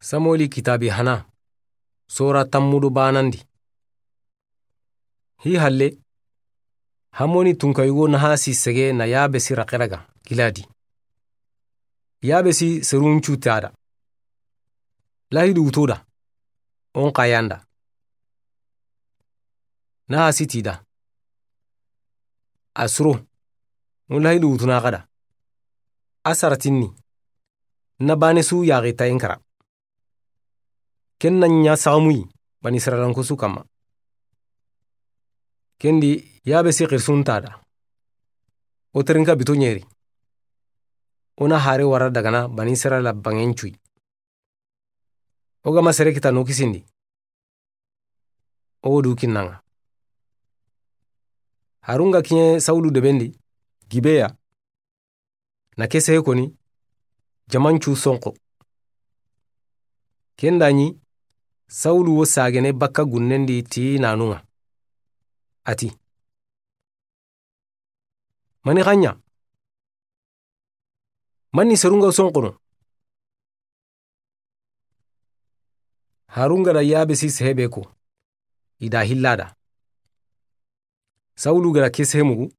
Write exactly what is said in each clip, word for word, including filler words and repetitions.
Samueli kitaabi hana, sora tammu do baanandi. Hi halle, Hamoni tunka yugo Nahasi sege na Yabesi raqe raga, Giladi. Yabesi serun cu ti a da. Lahidu wuto da, o n xa yan da. Nahasi ti da. A suro, o n lahidu wutuna xa da. A saratinni, na baane su yaxi tayen kara. Ken na ɲa saxamuyi, Bani Israilanko su kanma. Ken di, Yabesi xirisun ti a da. O terinka bito ɲeri. O na hare wara dagana Bani Israila banŋen cuyi. O ga ma sere kita no kisindi. O wo du kinna ŋa. Harun ga kiɲe Sawulu deben di, Gibeya, na ke sehe koni, jaman cu sonxo. Ken da ɲi, Sawulu wo sagene bakka gunnen di ti naanun ŋa. A ti, mani xa ɲa? Mani serun ga sonxono? Harun ga da Yabesi sehe be ko, i da hilla da. Sawulu ga da ke sehe mugu,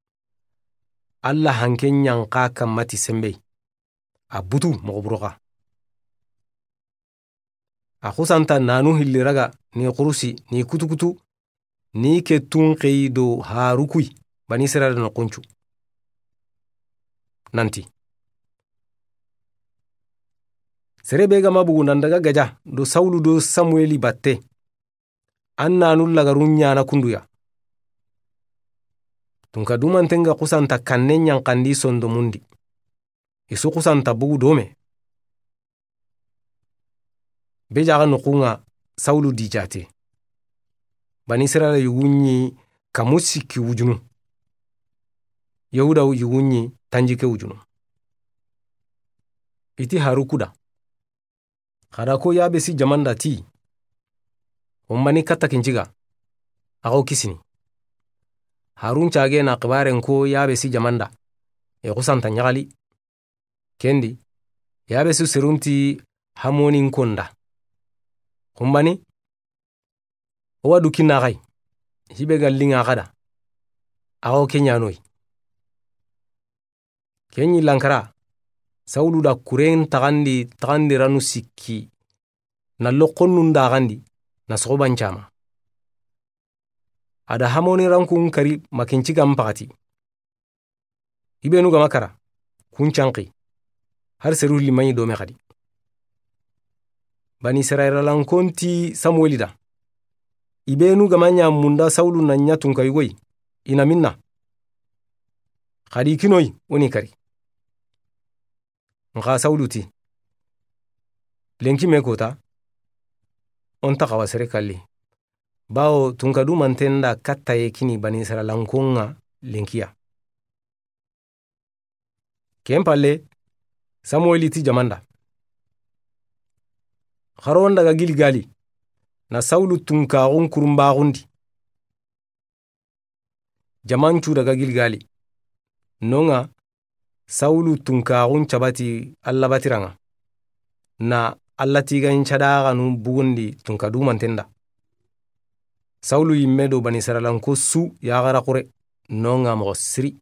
Alla hanke ɲa n xa kanma ti senbey. A butu moxo buro xa. A xusanta naanu hilli raga ni xurusi ni kutukutu ni ke tunxeyi do harukuyi Bani Israila noxun cu. Nanti, sere be ga ma bugu nan daga gaja do Sawulu do Samueli batte, an naanu lagarun ɲaana kunduya. Tunka dumanten ga xusanta kanne ɲanxandi sondomundi. I su xusanta bugu dome. Be jaxa noxun ŋa Sawulu di jaate. Bani Israila yugun ɲi kamu sikki wujunu. Yahuda yugun ɲi tanjikke wujunu. I ti haruku da. Xa da ko Yabesi jaman da ti, o n bani katta kinciga, a xa wo kisini. Harun cage na xibaren ko Yabesi jaman da, i xusanta ɲaxali. Ken di, Yabesi serun ti Hamonin ko n da. Xunbani, o wa du kinna xa yi, hi be ga liŋa xa da, a xa wo ke ɲaano yi. Ken ɲi lankara, Sawulu da kuren taxandi, taxandiranu sikki, na loxonnun daxandi, na soxoban cama. A da Hamoni rankun kari makincigan paxati. I benu ga ma kara, kun canqi, har seru limaɲi dome xadi. Bani Israila lankon ti Samueli da. I benu ga ma ɲa munda Sawulu na ɲa tunka yugoyi, i na minna. Xadi kinoyi, o ni kari. Nxa Sawulu ti, lenki me kota, o nta xawa sere kalli. Bawo tunka dumanten da kattaye kini Bani Israila lankon ŋa lenkiya. Ken palle, Samueli ti jaman da. Xaron daga Gilgali, na Sawulu tunkaxun kurumbaxundi. Jaman cu daga Gilgali. Nonga, Sawulu tunkaxun cabati Alla batiranŋa. Na Alla tigan cadaxanu bugundi tunka dumanten da. Sawulu yimme do Bani Israilanko su yaxara xure, nonga moxo siri.